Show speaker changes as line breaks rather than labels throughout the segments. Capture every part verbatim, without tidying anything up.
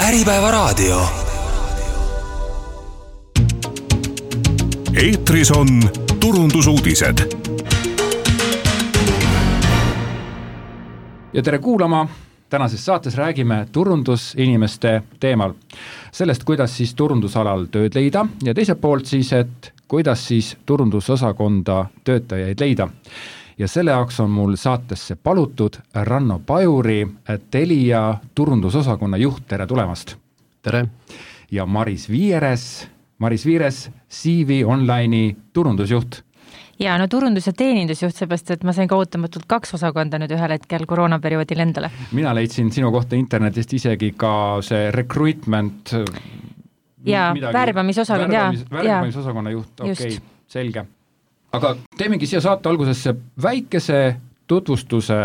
Äripäevaraadio.
Eetris on turundusuudised.
Ja tere kuulama! Tänases saates räägime turundusinimeste teemal. Sellest, kuidas siis turundusalal tööd leida ja teiselt poolt siis, et kuidas siis turundusosakonda töötajaid leida. Ja selle jaoks on mul saatesse palutud Ranno Pajuri, Telia turundusosakonna juht. Tere tulemast!
Tere!
Ja Maris Viires, Maris Viires, C V Online'i turundusjuht.
Ja no turundus- ja teenindusjuht, seepärast, et ma sain ka ootamatult kaks osakonda nüüd ühel hetkel koroonaperioodil endale.
Mina leidsin sinu kohta internetist isegi ka see recruitment
ja värbamisosakond,
värbamis, värbamisosakonna juht, okei, okay, selge. Aga teemegi siia saate algusesse väikese tutvustuse.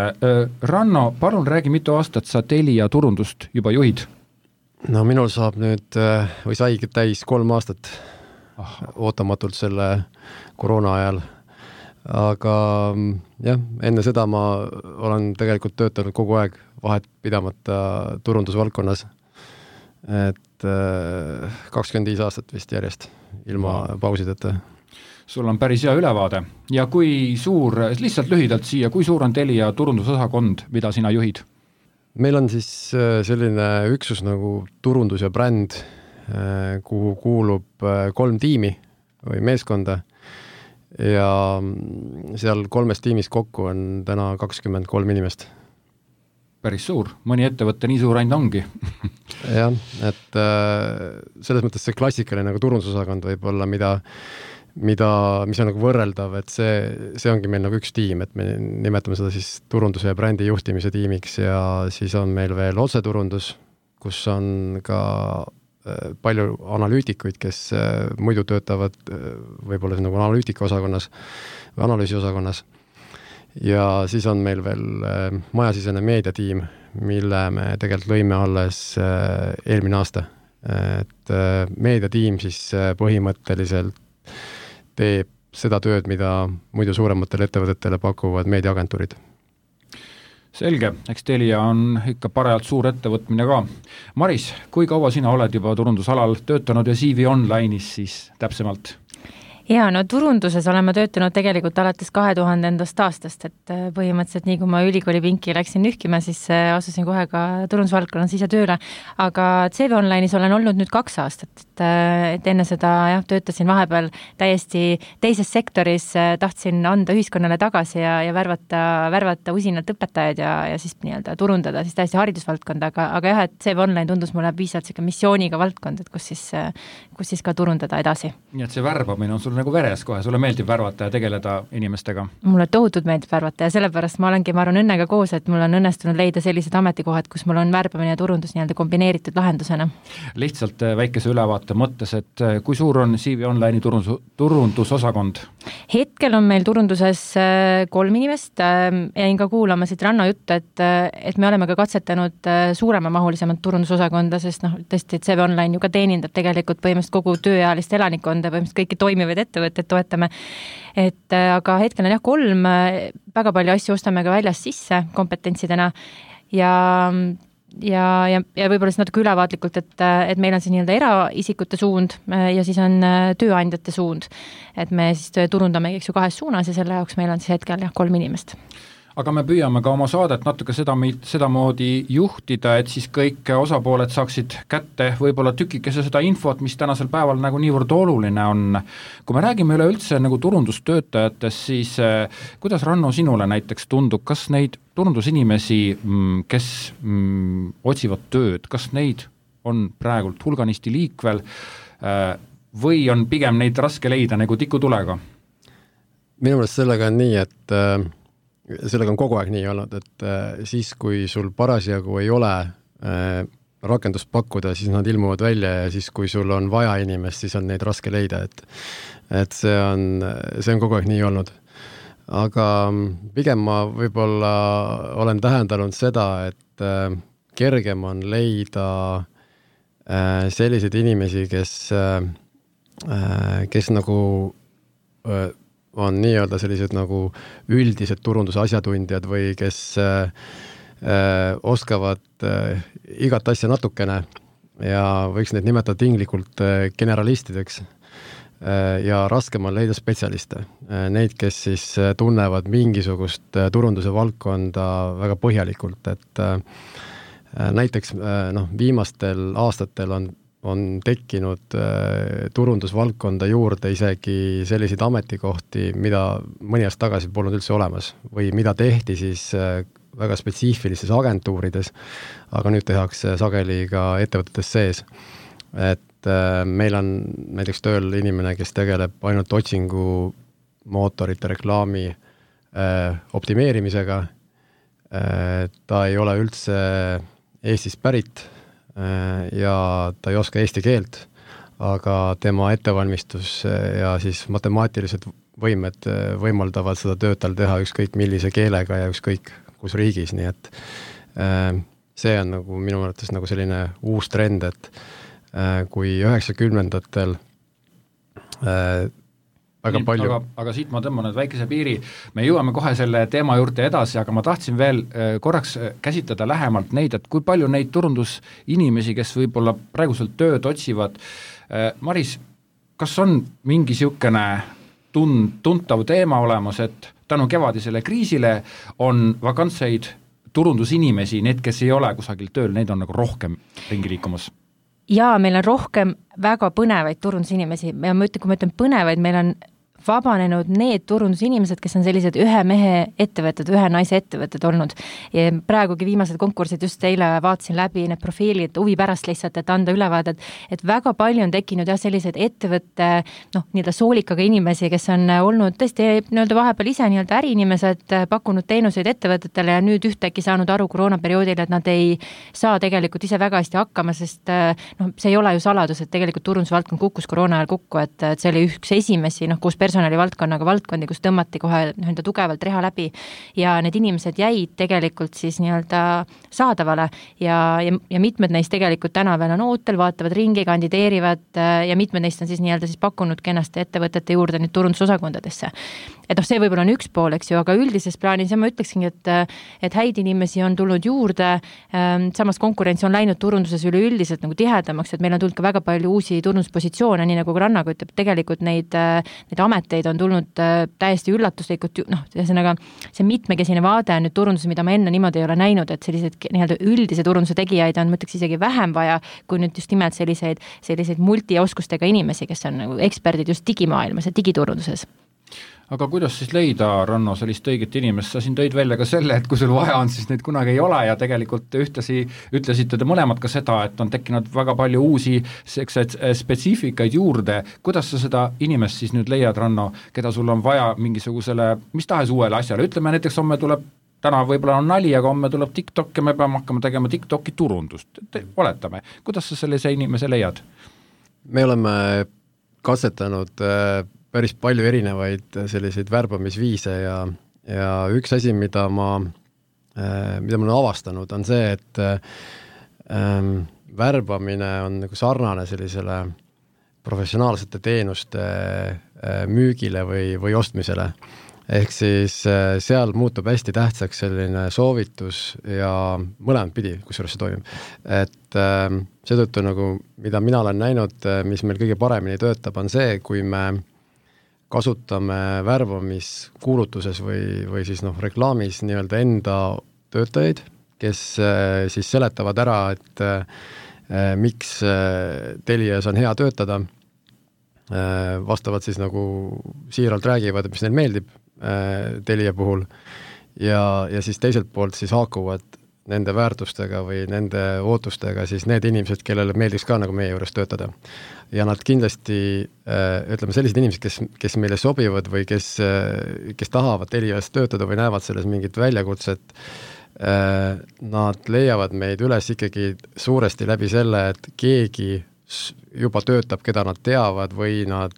Ranno, palun räägi, mitu aastat sa Telia turundust juba juhid?
No minul saab nüüd, või saigi täis kolm aastat ah. ootamatult selle koroona ajal. Aga jah, enne seda ma olen tegelikult töötanud kogu aeg vahet pidamata turundusvaldkonnas. Et kakskümmend viis aastat vist järjest ilma pausideta.
Sul on päris hea ülevaade. Ja kui suur, lihtsalt lühidalt siia, kui suur on Telia turundusosakond, mida sina juhid?
Meil on siis selline üksus nagu turundus ja bränd, kuhu kuulub kolm tiimi või meeskonda. Ja seal kolmes tiimis kokku on täna kakskümmend kolm inimest.
Päris suur. Mõni ettevõtte nii suur ainult ongi.
jah, et selles mõttes see klassikaline nagu turundusosakond võib olla, mida mida, mis on nagu võrreldav, et see, see ongi meil nagu üks tiim, et me nimetame seda siis turunduse ja brändi juhtimise tiimiks ja siis on meil veel otseturundus, kus on ka palju analüütikuid, kes muidu töötavad võib-olla nagu analüütika osakonnas või analüüsi osakonnas. Ja siis on meil veel majasisene meediatiim, mille me tegelikult lõime alles eelmine aasta. Et meediatiim siis põhimõtteliselt teeb seda tööd, mida muidu suurematele ettevõtetele pakuvad meediaagentuurid.
Selge, eks Telia on ikka parajalt suur ettevõtmine ka. Maris, kui kaua sina oled juba turundusalal töötanud ja C V Online'is siis täpsemalt?
Ja no turunduses oleme töötanud tegelikult alates kahe tuhandendast aastast, et põhimõtteliselt nii kui ma ülikooli pinki läksin nühkima, siis asusin kohe ka turundusvaldkonnas ise tööle, aga C V Online'is olen olnud nüüd kaks aastat, et, et enne seda jah, töötasin vahepeal täiesti teises sektoris, tahtsin anda ühiskonnale tagasi ja, ja värvata, värvata usinalt õpetajaid ja, ja siis nii-öelda turundada siis täiesti haridusvaldkonda, aga, aga jah, et C V Online tundus mulle piisavalt siuke missiooniga valdkond, et kus siis, kus siis ka turundada edasi.
Nii et see värbamine on sul nagu veres kohe, sulle meeldib värvata ja tegeleda inimestega?
Mulle tohutult meeldib värvata ja sellepärast ma olengi, ma arvan õnnega koos, et mul on õnnestunud leida sellised ametikohad, kus mul on värbamine ja turundus nii-öelda kombineeritud lahendusena. Lihtsalt väikese ülevaate mõttes, et kui suur on C V Online'i turundus, turundusosakond? Hetkel on meil turunduses kolm inimest. Jäin ka kuulama siit Ranno juttu, et, et me oleme ka katsetanud suurema mahulisemat turundusosakonda, sest noh, tõesti, et C V Online ju ka teenindab tegelikult põhimõtteliselt kogu tööealist elanikonda, põhimõtteliselt kõiki toimivaid ettevõtted toetame. Et aga hetkel on jah kolm, väga palju asju ostame ka väljast sisse kompetentsidena ja, ja, ja, ja võib-olla siis natuke ülevaatlikult, et, et meil on siis nii-öelda eraisikute suund ja siis on tööandjate suund. Et me siis turundame eks ju kahes suunas ja selle jaoks meil on siis hetkel jah kolm inimest. Aga me püüame ka oma saadet natuke seda, seda moodi juhtida, et siis kõik osapooled saaksid kätte võib-olla tükikese seda infot, mis tänasel päeval nagu niivõrd oluline on. Kui me räägime üleüldse nagu turundustöötajatest, siis eh, kuidas Ranno sinule näiteks tundub, kas neid turundusinimesi, kes mm, otsivad tööd, kas neid on praegult hulganisti liikvel eh, või on pigem neid raske leida nagu tikutulega?
Minu meelest sellega on nii, et äh... sellega on kogu aeg nii olnud, et äh, siis, kui sul parasjagu ei ole äh, rakendust pakkuda, siis nad ilmuvad välja ja siis, kui sul on vaja inimest, siis on neid raske leida, et, et see on, see on kogu aeg nii olnud. Aga pigem ma võib-olla olen tähendanud seda, et äh, kergem on leida äh, selliseid inimesi, kes, äh, kes nagu äh, on nii-öelda sellised nagu üldised turunduse asjatundjad või kes äh, oskavad äh, igat asja natukene ja võiks neid nimetada tinglikult generalistideks ja raskem on leida spetsialiste. Neid, kes siis tunnevad mingisugust turunduse valdkonda väga põhjalikult, et näiteks noh, viimastel aastatel on, on tekkinud turundusvaldkonda juurde isegi selliseid ametikohti, mida mõni aasta tagasi polnud üldse olemas või mida tehti siis väga spetsiifilistes agentuurides, aga nüüd tehakse sageli ka ettevõtetes sees. Et meil on näiteks tööl inimene, kes tegeleb ainult otsingu mootorite reklaami optimeerimisega. Ta ei ole üldse Eestist pärit ja ta ei oska eesti keelt, aga tema ettevalmistus ja siis matemaatilised võimed võimaldavad seda tööd tal teha ükskõik millise keelega ja ükskõik kus riigis, nii et see on nagu minu mõttes nagu selline uus trend, et kui üheksakümnendatel äh, väga Nii, palju
aga, aga siit ma tõmban nüüd väikese piiri, me jõuame kohe selle teema juurde edasi, aga ma tahtsin veel äh, korraks käsitleda lähemalt neid, et kui palju neid turundusinimesi, kes võib-olla praeguselt tööd otsivad. äh, Maris, kas on mingi siukene tun-, tuntav teema olemas, et tänu kevadisele kriisile on vakantseid turundusinimesi, need, kes ei ole kusagil tööl, neid on nagu rohkem ringi liikumas?
Jaa, meil on rohkem väga põnevaid turundusinimesi ja ma ütlen, kui ma ütlen põnevaid, meil on vabanenud need turundusinimesed, kes on sellised ühe mehe ettevõtted, ühe naise ettevõtted olnud. Ja praegugi viimased konkursid just eile vaatasin läbi need profiilid huvi pärast lihtsalt, et anda ülevaadet, et väga palju on tekkinud jah sellised ettevõtte, noh, nii-öelda soolikaga inimesi, kes on olnud tõesti nii-öelda vahepeal ise nii-öelda äriinimesed, pakkunud teenuseid ettevõtetele ja nüüd ühtäkki saanud aru koroonaperioodil, et nad ei saa tegelikult ise väga hästi hakkama, sest noh, see ei ole ju saladus, et tegelikult turundusvaldkond kukkus koroona ajal kukku, et, et see oli üks esimesi, noh, kus personalivaldkonnaga valdkondi, kus tõmmati kohe nii-öelda tugevalt reha läbi ja need inimesed jäid tegelikult siis nii-öelda saadavale ja, ja, ja mitmed neist tegelikult täna veel on ootel, vaatavad ringi, kandideerivad ja mitmed neist on siis nii-öelda siis pakkunud kenasti ettevõtete juurde nüüd turundusosakondadesse. Et noh, see võib-olla on üks pool, eks ju, aga üldises plaanis ja ma ütleksingi, et, et häid inimesi on tulnud juurde, samas konkurents on läinud turunduses üleüldiselt nagu tihedamaks, et meil on tulnud ka väga palju uusi turunduspositsioone, nii nagu Rannaga ütleb, tegelikult neid, neid ameteid on tulnud täiesti üllatuslikult, noh, ühesõnaga see mitmekesine vaade on nüüd turunduse, mida ma enne niimoodi ei ole näinud, et sellised nii-öelda üldise turunduse tegijaid on, ma ütleks isegi vähem vaja, kui nüüd just nimelt selliseid, selliseid multioskustega inimesi, kes on nagu eksperdid just digimaailmas ja digiturunduses.
Aga kuidas siis leida, Ranno, sellist õiget inimest? Sa siin tõid välja ka selle, et kui sul vaja on, siis neid kunagi ei ole ja tegelikult ühtasi ütlesite te mõlemad ka seda, et on tekkinud väga palju uusi spetsiifikaid juurde. Kuidas sa seda inimest siis nüüd leiad, Ranno, keda sul on vaja mingisugusele, mis tahes uuele asjale? Ütleme näiteks, homme tuleb, täna võib-olla on nali, aga homme tuleb TikTok ja me peame hakkama tegema TikToki turundust. Oletame. Kuidas sa sellise inimese leiad?
Me oleme katsetanud päris palju erinevaid selliseid värbamisviise ja, ja üks asi, mida ma, mida ma olen avastanud, on see, et ähm, värbamine on nagu sarnane sellisele professionaalsete teenuste äh, müügile või, või ostmisele. Ehk siis äh, seal muutub hästi tähtsaks selline soovitus ja mõlemad pidi, kusjuures see toimib. Et äh, seetõttu nagu, mida mina olen näinud, mis meil kõige paremini töötab, on see, kui me kasutame värbamiskuulutuses või, või siis noh, reklaamis nii-öelda enda töötajaid, kes äh, siis seletavad ära, et äh, miks äh, Telias on hea töötada, äh, vastavad siis nagu siiralt räägivad, mis neil meeldib äh, Telia puhul ja, ja siis teiselt poolt siis haakuvad nende väärtustega või nende ootustega siis need inimesed, kellele meeldiks ka nagu meie juures töötada. Ja nad kindlasti, ütleme, sellised inimesed, kes, kes meile sobivad või kes, kes tahavad Telias töötada või näevad selles mingit väljakutset, nad leiavad meid üles ikkagi suuresti läbi selle, et keegi juba töötab, keda nad teavad või nad,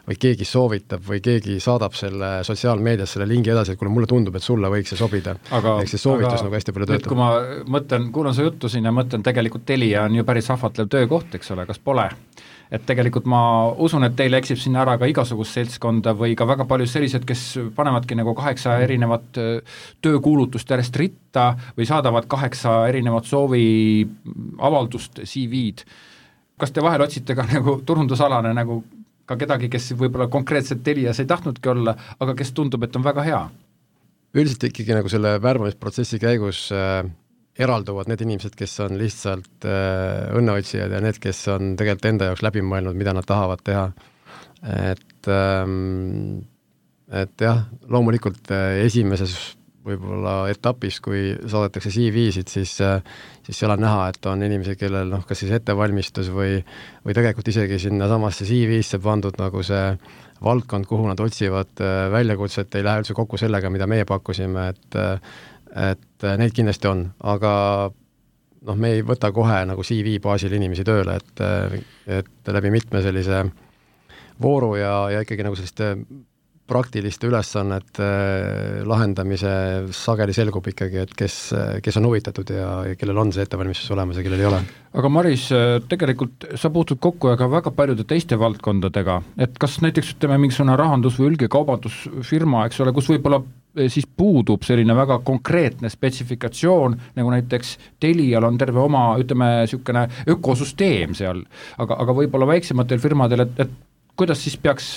või keegi soovitab või keegi saadab selle sotsiaalmeedias selle lingi edasi, et kuule, mulle tundub, et sulle võiks see sobida. Ehk see soovitus aga, nagu hästi palju töötab.
Kui ma mõtlen, kuulan su juttu siin ja mõtlen, tegelikult Telia on ju päris ahvatlev töökoht, eks ole, kas pole? et tegelikult ma usun, et teil eksib sinna ära ka igasugust seltskonda või ka väga palju sellised, kes panevadki nagu kaheksa erinevat töökuulutust järjest ritta või saadavad kaheksa erinevat soovi avaldust C V-d. Kas te vahel otsite ka nagu turundusalane nagu ka kedagi, kes võib-olla konkreetselt Telias ei tahtnudki olla, aga kes tundub, et on väga hea?
Üldiselt ikkagi nagu selle värbamisprotsessi käigus äh, eralduvad need inimesed, kes on lihtsalt äh, õnneotsijad ja need, kes on tegelikult enda jaoks läbi mõelnud, mida nad tahavad teha. Et, ähm, et jah, loomulikult äh, esimeses võib-olla etapis, kui saadetakse C V-sid, siis, äh, siis seal on näha, et on inimesi, kellel noh, kas siis ettevalmistus või, või tegelikult isegi sinna samasse C V-sse pandud nagu see valdkond, kuhu nad otsivad väljakutset, ei lähe üldse kokku sellega, mida meie pakkusime, et, et neid kindlasti on, aga noh, me ei võta kohe nagu C V baasil inimesi tööle, et, et läbi mitme sellise vooru ja, ja ikkagi nagu selliste praktiliste ülesannete lahendamise sageli selgub ikkagi, et kes, kes on huvitatud ja, ja kellel on see ettevalmistus olemas ja kellel ei ole.
Aga Maris, tegelikult sa puutud kokku aga väga paljude teiste valdkondadega, et kas näiteks ütleme mingisugune rahandus- või ülge kaubandusfirma, eks ole, kus võib-olla siis puudub selline väga konkreetne spetsifikatsioon, nagu näiteks Telial on terve oma, ütleme, niisugune ökosüsteem seal, aga, aga võib-olla väiksematel firmadel, et, et kuidas siis peaks,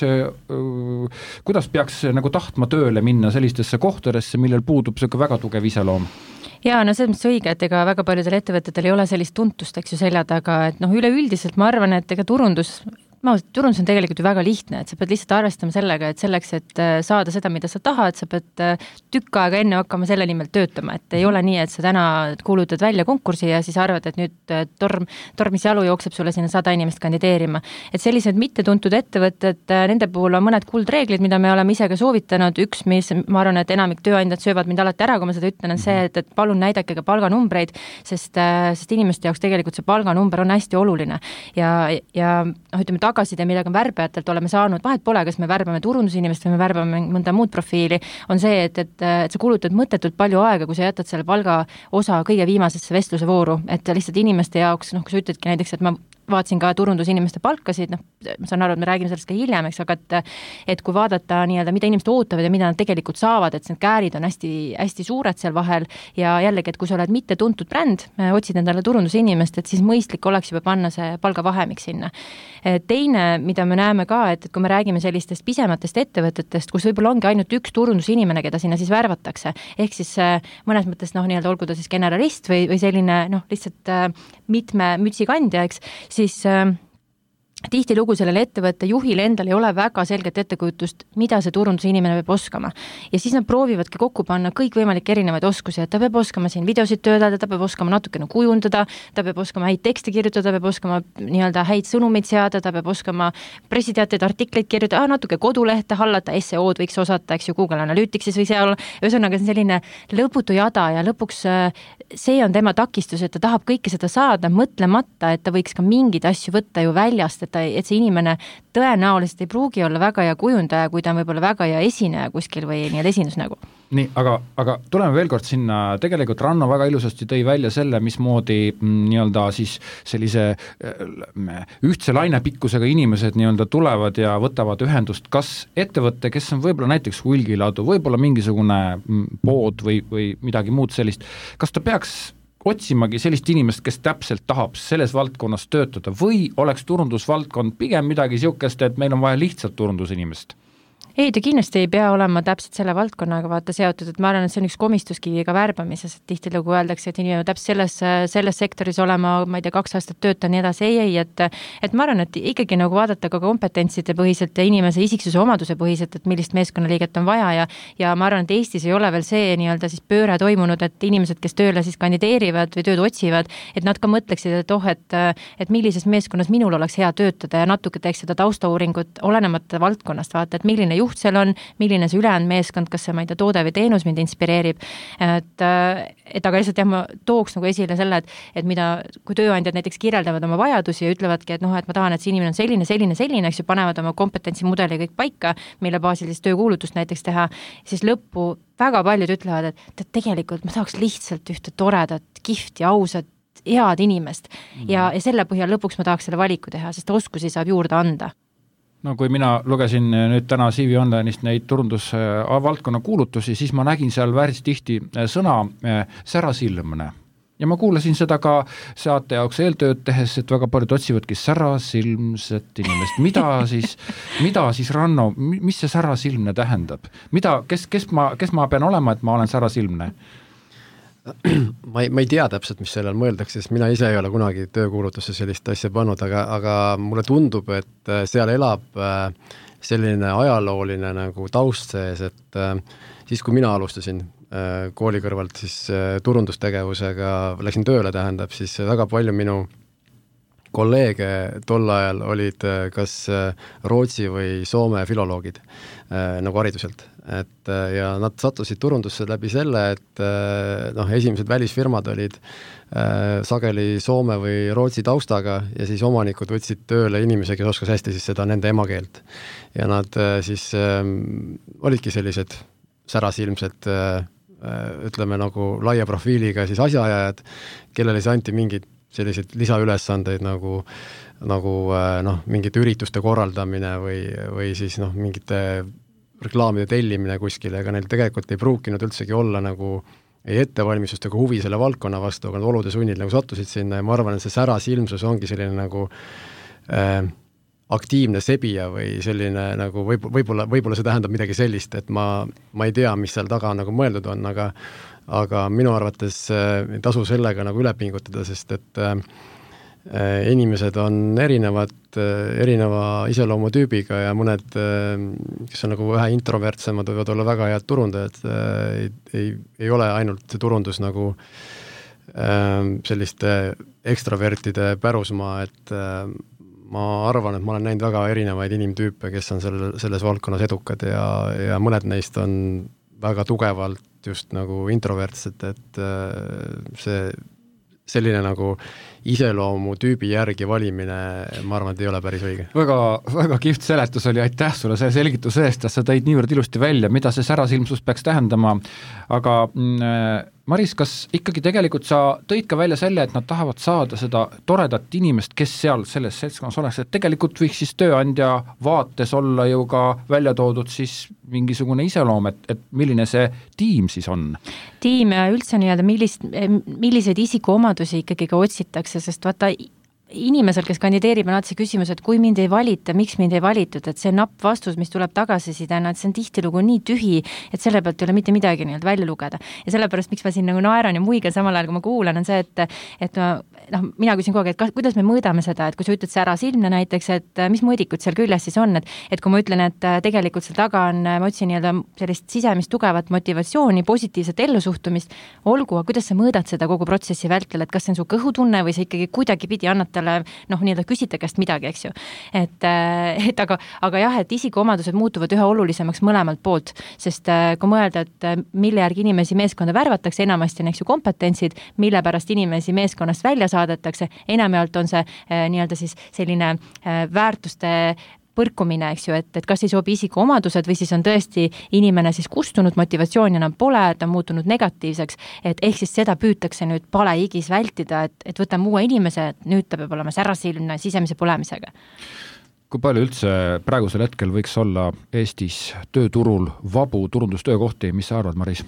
kuidas peaks nagu tahtma tööle minna sellistesse kohtadesse, millel puudub selline väga tugev iseloom?
Jaa, no see on õige, et ega väga paljudel ettevõtetel ei ole sellist tuntust, eks ju, selja taga, et noh, üleüldiselt ma arvan, et ega turundus ma, turundus on tegelikult ju väga lihtne, et sa pead lihtsalt arvestama sellega, et selleks, et saada seda, mida sa tahad, sa pead tükk aega enne hakkama selle nimel töötama, et ei ole nii, et sa täna kuulutad välja konkursi ja siis arvad, et nüüd torm, tormis jalu jookseb sulle sinna sada inimest kandideerima. Et sellised mittetuntud ettevõtted, nende puhul on mõned kuldreeglid, mida me oleme ise ka soovitanud, üks, mis ma arvan, et enamik tööandjad söövad mind alati ära, kui ma seda ütlen, on see, et, et palun näidake ka palganumbreid, sest, sest inimeste jaoks tegelikult see palganumber on hästi oluline ja, ja noh, ütleme, tagasiside, mida värbajatelt oleme saanud, vahet pole, kas me värbame turundusinimest või me värbame mõnda muud profiili, on see, et, et, et sa kulutad mõttetult palju aega, kui sa jätad selle palga osa kõige viimasesse vestluse vooru, et lihtsalt inimeste jaoks, noh, kui sa ütledki näiteks, et ma vaatasin ka turundusinimeste palkasid, noh, ma saan aru, et me räägime sellest ka hiljem, eks, aga et, et kui vaadata nii-öelda, mida inimesed ootavad ja mida nad tegelikult saavad, et need käärid on hästi, hästi suured seal vahel ja jällegi, et kui sa oled mitte tuntud bränd, otsid endale turundusinimest, et siis mõistlik oleks juba panna see palgavahemik sinna. Teine, mida me näeme ka, et, et kui me räägime sellistest pisematest ettevõtetest, kus võib-olla ongi ainult üks turundusinimene, keda sinna siis värvatakse, ehk siis mõnes mõttes, noh, nii-öelda olgu ta siis generalist või, või selline, noh, lihtsalt mitme mütsikandja, eks, siis äh, tihtilugu sellele ettevõtte juhile endal ei ole väga selget ettekujutust, mida see turundusinimene peab oskama. Ja siis nad proovivadki kokku panna kõik võimalik erinevaid oskusi, et ta peab oskama siin videosid töötada, ta peab oskama natukene kujundada, ta peab oskama häid tekste kirjutada, ta peab oskama nii-öelda häid sõnumeid seada, ta peab oskama pressiteateid, artikleid kirjutada, natuke kodulehte hallata, S E O-d võiks osata, eks ju, Google Analyticsis või seal, ühesõnaga see on selline lõputu jada ja lõpuks see on tema takistus, et ta tahab kõike seda saada, mõtlemata, et ta võiks ka mingeid asju võtta ju väljast, et et see inimene tõenäoliselt ei pruugi olla väga hea kujundaja, kui ta on võib-olla väga hea esineja kuskil või nii-öelda esindusnägu.
Nii, aga, aga tuleme veel kord sinna, tegelikult Ranno väga ilusasti tõi välja selle, mismoodi nii-öelda siis sellise ühtse lainepikkusega inimesed nii-öelda tulevad ja võtavad ühendust, kas ettevõtte, kes on võib-olla näiteks hulgiladu, võib-olla mingisugune pood või, või midagi muud sellist, kas ta peaks otsimagi sellist inimest, kes täpselt tahab selles valdkonnas töötada või oleks turundusvaldkond pigem midagi niisugust, et meil on vaja lihtsalt turundusinimest?
Ei, ta kindlasti ei pea olema täpselt selle valdkonnaga vaata seotud, et ma arvan, et see on üks komistuskivi ka värbamises, et tihtilugu öeldakse, et inimene täpselt selles, selles sektoris olema, ma ei tea, kaks aastat tööta nii edasi, ei, ei, et, et ma arvan, et ikkagi nagu vaadata ka kompetentside põhiselt ja inimese isiksuse omaduse põhiselt, et millist meeskonnaliiget on vaja ja, ja ma arvan, et Eestis ei ole veel see nii-öelda siis pööre toimunud, et inimesed, kes tööle siis kandideerivad või tööd otsivad, et nad ka mõtleksid, et oh, et, et millises meeskonnas minul oleks hea töötada ja natuke teeks seda taustauuringut olenemata valdkonnast, vaata, et milline juht seal on, milline see ülejäänud meeskond, kas see, ma ei tea, toode või teenus mind inspireerib, et, et aga lihtsalt jah, ma tooks nagu esile selle, et, et mida, kui tööandjad näiteks kirjeldavad oma vajadusi ja ütlevadki, et noh, et ma tahan, et see inimene on selline, selline, selline, eks ju, panevad oma kompetentsimudeli kõik paika, mille baasil siis töökuulutust näiteks teha, siis lõppu väga paljud ütlevad, et, et tegelikult ma tahaks lihtsalt ühte toredat, kihvti, ausat head inimest mm. ja, ja selle põhjal lõpuks ma tahaks selle valiku teha, sest oskusi saab juurde anda.
No kui mina lugesin nüüd täna C V Online'ist neid turundusvaldkonna kuulutusi, siis ma nägin seal päris tihti sõna särasilmne. Ja ma kuulasin seda ka saate jaoks eeltööd tehes, et väga paljud otsivadki särasilmset inimest. Mida siis, mida siis Ranno, mis see särasilmne tähendab? Mida, kes, kes, ma, kes ma pean olema, et ma olen särasilmne?
Ma ei, ma ei tea täpselt, mis sellel mõeldakse, sest mina ise ei ole kunagi töökuulutusse sellist asja pannud, aga, aga mulle tundub, et seal elab selline ajalooline nagu taust sees, et siis kui mina alustasin kooli kõrvalt siis turundustegevusega, läksin tööle, tähendab, siis väga palju minu kolleege tol ajal olid kas Rootsi või Soome filoloogid nagu hariduselt. Et, ja nad sattusid turundusse läbi selle, et noh, esimesed välisfirmad olid äh, sageli Soome või Rootsi taustaga ja siis omanikud võtsid tööle inimese, kes oskas hästi siis seda nende emakeelt. Ja nad äh, siis äh, olidki sellised särasilmsed äh, ütleme nagu laia profiiliga siis asjaajajad, kellele siis anti mingid selliseid lisaülesandeid nagu, nagu äh, noh, mingite ürituste korraldamine või, või siis noh, mingite reklaamide tellimine kuskile, ega neil tegelikult ei pruukinud üldsegi olla nagu ei ettevalmistust ega huvi selle valdkonna vastu, aga nad olude sunnid nagu sattusid sinna ja ma arvan, et see särasilmsus ongi selline nagu äh, aktiivne sebija või selline nagu võib, võib-olla, võib-olla see tähendab midagi sellist, et ma, ma ei tea, mis seal taga nagu mõeldud on, aga, aga minu arvates äh, ei tasu sellega nagu üle pingutada, sest et äh, inimesed on erinevad, erineva iseloomutüübiga ja mõned, kes on nagu vähe introvertsemad, võivad olla väga head turundajad, ei, ei, ei ole ainult see turundus nagu selliste ekstravertide pärusmaa, et ma arvan, et ma olen näinud väga erinevaid inimtüüpe, kes on selle, selles valdkonnas edukad ja, ja mõned neist on väga tugevalt just nagu introvertsed, et see selline nagu iseloomu tüübi järgi valimine, ma arvan, et ei ole päris õige.
Väga, väga kihvt seletus oli, aitäh sulle selle selgituse eest, sa tõid niivõrd ilusti välja, mida see särasilmsus peaks tähendama, aga mm, Maris, kas ikkagi tegelikult sa tõid ka välja selle, et nad tahavad saada seda toredat inimest, kes seal selles seltskonnas oleks, et tegelikult võiks siis tööandja vaates olla ju ka välja toodud siis mingisugune iseloom, et, et milline see tiim siis on?
Tiim ja üldse nii-öelda millist, milliseid isikuomadusi ikkagi ka otsitakse, sest vaata inimesel, kes kandideerib, on alati see küsimus, et kui mind ei valita, miks mind ei valitud, et see napp vastus, mis tuleb tagasisidena, et see on tihtilugu nii tühi, et selle pealt ei ole mitte midagi nii-öelda välja lugeda. Ja sellepärast, miks ma siin nagu naeran ja muigan samal ajal, kui ma kuulan, on see, et, et ma, noh, mina küsin kogu aeg, et kas, kuidas me mõõdame seda, et kui sa ütled see ära silmne näiteks, et mis mõõdikud seal küljes siis on, et, et kui ma ütlen, et tegelikult seal taga on, ma otsin nii-öelda sellist sisemist tugevat motivatsiooni, positiivset ellusuhtumist, olgu, kuidas sa mõõdad seda kogu protsessi vältel, et kas see on su kõhutunne või see ikkagi kuidagi pidi annab talle, noh, nii-öelda küsite käest midagi, eks ju. Et, et aga, aga jah, et isikuomadused muutuvad üha olulisemaks mõlemalt poolt, sest kui mõelda, et mille järgi inimesi meeskonda värvatakse, enamasti on, eks ju, kompetentsid, mille pärast inimesi meeskonnast välja saadetakse, enamjaolt on see nii-öelda siis selline väärtuste põrkumine, eks ju, et, et kas ei sobi isikuomadused või siis on tõesti inimene siis kustunud, motivatsiooni enam pole, ta on muutunud negatiivseks, et ehk siis seda püütakse nüüd palehigis vältida, et, et võtame uue inimese, et nüüd ta peab olema särasilmne sisemise põlemisega.
Kui palju üldse praegusel hetkel võiks olla Eestis tööturul vabu turundustöökohti, mis sa arvad, Maris?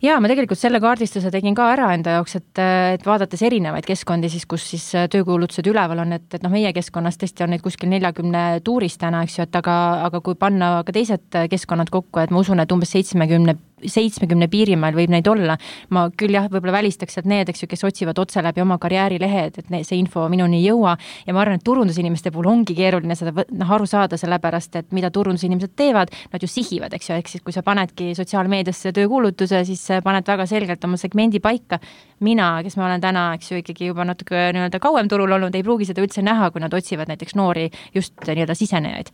Jaa, ma tegelikult selle kaardistuse tegin ka ära enda jaoks, et, et vaadates erinevaid keskkondi, siis, kus siis töökuulutused üleval on, et, et noh, meie keskkonnas tõesti on neid kuskil neljakümne tuuris täna, eks ju, et aga, aga kui panna ka teised keskkonnad kokku, et ma usun, et umbes seitsmekümne seitsmekümne piirimail võib neid olla. Ma küll jah, võib-olla välistaks sealt need, eks ju, kes otsivad otse läbi oma karjäärilehed, et see info minuni ei jõua ja ma arvan, et turundusinimeste puhul ongi keeruline seda noh, aru saada, sellepärast, et mida turundusinimesed teevad, nad ju sihivad, eks ju, eks siis kui sa panedki sotsiaalmeediasse töökuulutuse, siis paned väga selgelt oma segmendi paika. Mina, kes ma olen täna, eks ju, ikkagi juba natuke nii-öelda kauem turul olnud, ei pruugi seda üldse näha, kui nad otsivad näiteks noori just nii-öelda sisenejaid.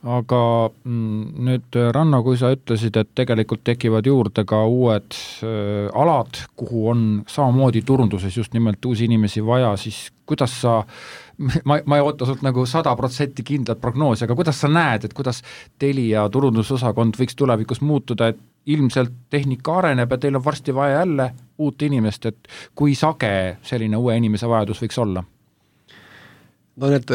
Aga nüüd, Ranno, kui sa ütlesid, et tegelikult tekivad juurde ka uued äh, alad, kuhu on samamoodi turunduses just nimelt uusi inimesi vaja, siis kuidas sa, ma, ma ei oota sult nagu sada protsenti kindlat prognoosi, aga kuidas sa näed, et kuidas Telia turundusosakond võiks tulevikus muutuda, et ilmselt tehnika areneb ja teil on varsti vaja jälle uut inimest, et kui sage selline uue inimese vajadus võiks olla?
No need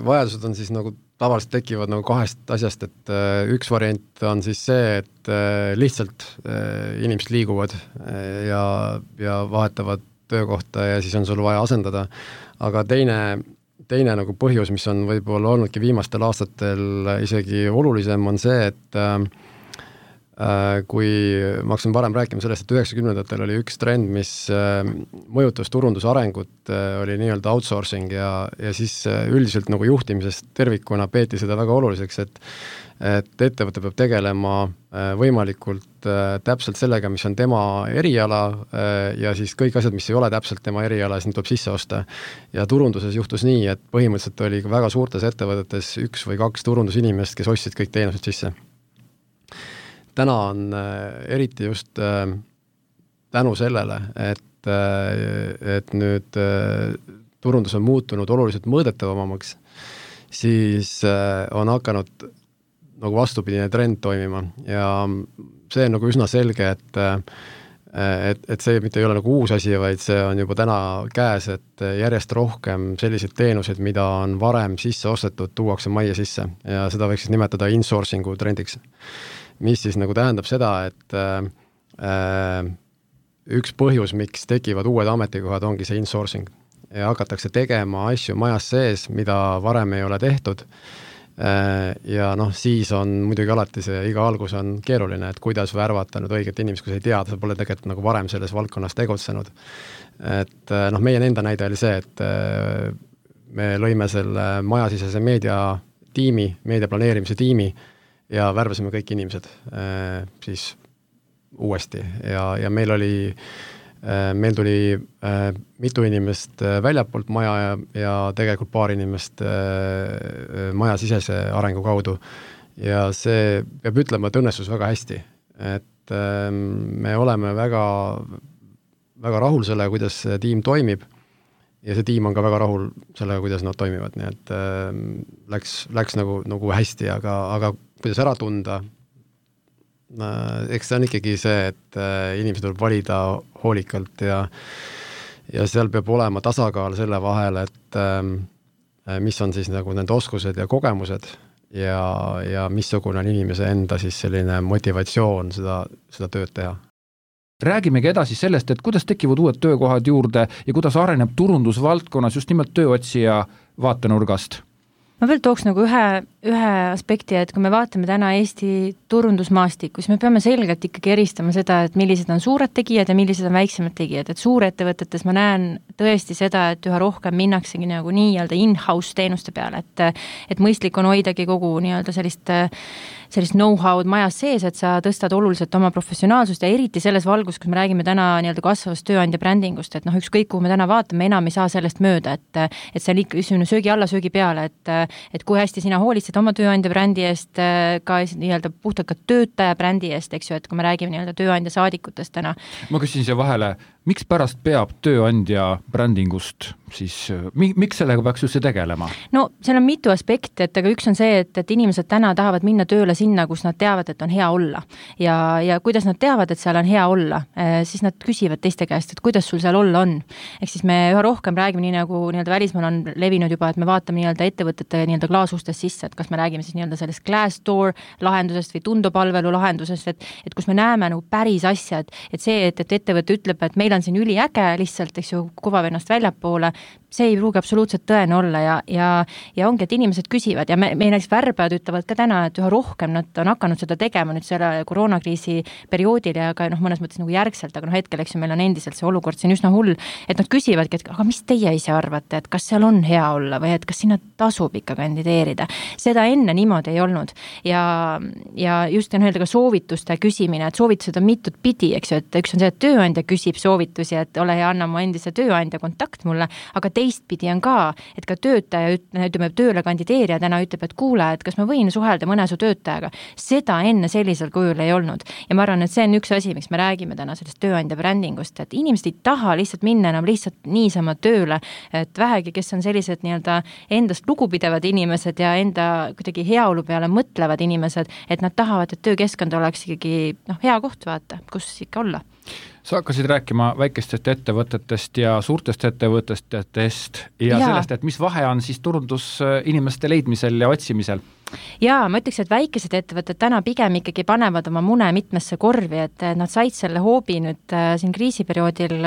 vajadused on siis nagu tavaliselt tekivad nagu kahest asjast, et üks variant on siis see, et lihtsalt inimesed liiguvad ja, ja vahetavad töökohta ja siis on sul vaja asendada, aga teine teine nagu põhjus, mis on võib-olla olnudki viimastel aastatel isegi olulisem, on see, et äh, kui ma hakkasin varem rääkima sellest, et üheksakümnendatel oli üks trend, mis äh, mõjutas turunduse arengut, äh, oli nii-öelda outsourcing ja, ja siis äh, üldiselt nagu juhtimisest tervikuna peeti seda väga oluliseks, et et ettevõte peab tegelema äh, võimalikult äh, täpselt sellega, mis on tema eriala äh, ja siis kõik asjad, mis ei ole täpselt tema eriala, siis need tuleb sisse osta. Ja turunduses juhtus nii, et põhimõtteliselt oli väga suurtes ettevõtetes üks või kaks turundusinimest, kes ostsid kõik teenused sisse. Täna on äh, eriti just äh, tänu sellele, et, äh, et nüüd äh, turundus on muutunud oluliselt mõõdetavamaks, siis äh, on hakanud nagu vastupidine trend toimima ja see on nagu üsna selge, et, et, et see mitte ei ole nagu uus asi, vaid see on juba täna käes, et järjest rohkem selliseid teenuseid, mida on varem sisse ostetud, tuuakse majja sisse ja seda võiks siis nimetada insourcingu trendiks. Mis siis nagu tähendab seda, et äh, üks põhjus, miks tekivad uued ametikohad, ongi see insourcing ja hakatakse tegema asju majas sees, mida varem ei ole tehtud. Ja noh, siis on muidugi alati see iga algus on keeruline, et kuidas värvata nüüd õiget inimest, kui sa ei tea, sa pole tegelikult nagu varem selles valdkonnas tegutsenud. Et noh, meie enda näide oli see, et me lõime selle majasisese meedia tiimi, meedia planeerimise tiimi ja värvasime kõik inimesed siis uuesti ja, ja meil oli meil tuli äh, mitu inimest äh, väljapoolt maja ja, ja tegelikult paar inimest äh, majasisese arengu kaudu ja see peab ütlema, et õnnestus väga hästi, et äh, me oleme väga, väga rahul sellega, kuidas see tiim toimib ja see tiim on ka väga rahul sellega, kuidas nad toimivad, nii et äh, läks, läks nagu, nagu hästi, aga, aga kuidas ära tunda, eks see on ikkagi see, et inimesed tuleb valida hoolikalt ja, ja seal peab olema tasakaal selle vahel, et mis on siis nagu nende oskused ja kogemused ja, ja missugune on inimese enda siis selline motivatsioon seda, seda tööd teha.
Räägimegi edasi sellest, et kuidas tekivad uued töökohad juurde ja kuidas areneb turundusvaldkonnas just nimelt tööotsija vaatenurgast.
Ma veel tooks nagu ühe, ühe aspekti, et kui me vaatame täna Eesti turundusmaastikku, siis me peame selgelt ikkagi eristama seda, et millised on suured tegijad ja millised on väiksemad tegijad, et suurettevõtetes ma näen tõesti seda, et üha rohkem minnaksegi nagu nii-öelda in-house teenuste peale, et, et mõistlik on hoidagi kogu nii-öelda sellist, sellist know-how'd majas sees, et sa tõstad oluliselt oma professionaalsust ja eriti selles valgus, kus me räägime täna nii-öelda kasvavast tööandja brändingust, et noh, ükskõik, kuhu me täna vaatame, enam ei saa sellest mööda, et, et see on ikka söögi alla, söögi peale, et et kui hästi sina hoolitsed oma tööandja brändi eest, ka nii-öelda puhtalt ka töötaja brändi eest, eks ju, et kui me räägime nii-öelda tööandja saadikutest täna.
Ma küsin siia vahele, miks pärast peab tööandja brändingust siis, miks sellega peaks just see tegelema?
No seal on mitu aspekti, et aga üks on see, et, et inimesed täna tahavad minna tööle sinna, kus nad teavad, et on hea olla. Ja, ja kuidas nad teavad, et seal on hea olla, siis nad küsivad teiste käest, et kuidas sul seal olla on. Ehk siis me üha rohkem räägime nii nagu nii-öelda välismaal on levinud juba, et me vaatame nii-öelda ettevõtete nii-öelda klaasustest sisse, et kas me räägime siis nii-öelda sellest Glassdoor lahendusest või tundopalvelu lahendusest, et, et kus me näeme nagu päris asja, et, et see, et, et ettevõte ütleb, et meil on siin üliäge lihtsalt, eks ju, kuvav ennast väljapoole, see ei pruugi absoluutselt tõene olla ja, ja, ja ongi, et inimesed küsivad ja me, me näiteks värbajad ütlevad ka täna, et üha rohkem nad on hakanud seda tegema nüüd selle koroonakriisi perioodil ja ka noh, mõnes mõttes nagu järgselt, aga noh, hetkel, eks ju, meil on endiselt see olukord siin üsna hull, et nad küsivadki, et aga mis teie ise arvate, et kas seal on hea olla või et kas sinna tasub ikka kandideerida. Seda enne niimoodi ei olnud ja, ja just on öelda ka soovituste küsimine, et soovitused on mitut pidi, eks ju, et üks on see, et tööandja küsib soovitusi soovitusi, et ole hea, anna mu endise tööandja kontakt mulle, aga teistpidi on ka, et ka töötaja, ütleme, tööle kandideerija täna ütleb, et kuule, et kas ma võin suhelda mõne su töötajaga. Seda enne sellisel kujul ei olnud. Ja ma arvan, et see on üks asi, miks me räägime täna sellest tööandja brändingust, et inimesed ei taha lihtsalt minna enam lihtsalt niisama tööle, et vähegi, kes on sellised nii-öelda endast lugupidevad inimesed ja enda kuidagi heaolu peale mõtlevad inimesed, et nad tahavad, et töökeskkond oleks ikkagi noh, hea koht vaata, kus ikka olla.
Sa hakkasid rääkima väikestest ettevõtetest ja suurtest ettevõtetest ja, ja sellest, et mis vahe on siis turundus inimeste leidmisel ja otsimisel?
Jaa, ma ütleks, et väikesed ettevõtted täna pigem ikkagi panevad oma mune mitmesse korvi, et nad said selle hoobi nüüd siin kriisiperioodil